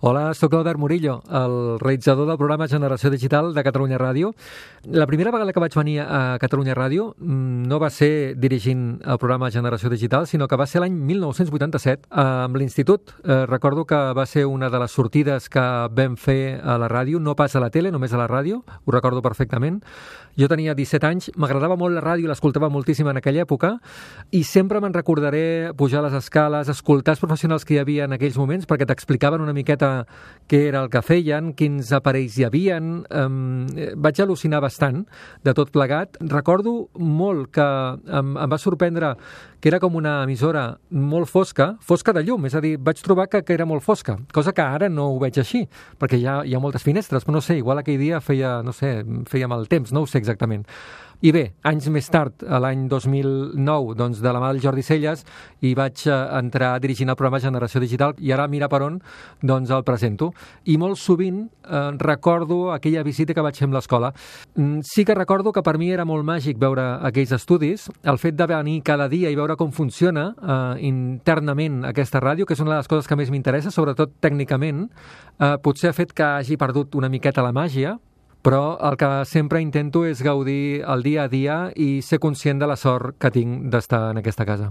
Hola, sóc Albert Murillo, el realitzador del programa Generació Digital de Catalunya Ràdio. La primera vegada que vaig venir a Catalunya Ràdio no va ser dirigint el programa Generació Digital, sinó que va ser l'any 1987 amb l'Institut. Recordo que va ser una de les sortides que vam fer a la ràdio, no pas a la tele, només a la ràdio, ho recordo perfectament. Jo tenia 17 anys, m'agradava molt la ràdio, l'escoltava moltíssim en aquella època i sempre me'n recordaré pujar les escales, escoltar els professionals que hi havia en aquells moments perquè t'explicaven una miqueta què era el que feien, quins aparells hi havien. Vaig al·lucinar bastant de tot plegat. Recordo molt que em va sorprendre que era com una emissora molt fosca de llum, és a dir, vaig trobar que era molt fosca, cosa que ara no ho veig així, perquè hi ha moltes finestres, però no sé, igual aquell dia feia mal temps, no ho sé exactament. I bé, anys més tard, l'any 2009, doncs, de la mà del Jordi Celles, hi vaig entrar dirigint el programa Generació Digital i ara, mira per on, doncs el presento. I molt sovint recordo aquella visita que vaig fer amb l'escola. Sí que recordo que per mi era molt màgic veure aquells estudis, el fet de venir cada dia i veure com funciona internament aquesta ràdio, que és una de les coses que més m'interessa, sobretot tècnicament, potser ha fet que hagi perdut una miqueta la màgia, però el que sempre intento és gaudir el dia a dia i ser conscient de la sort que tinc d'estar en aquesta casa.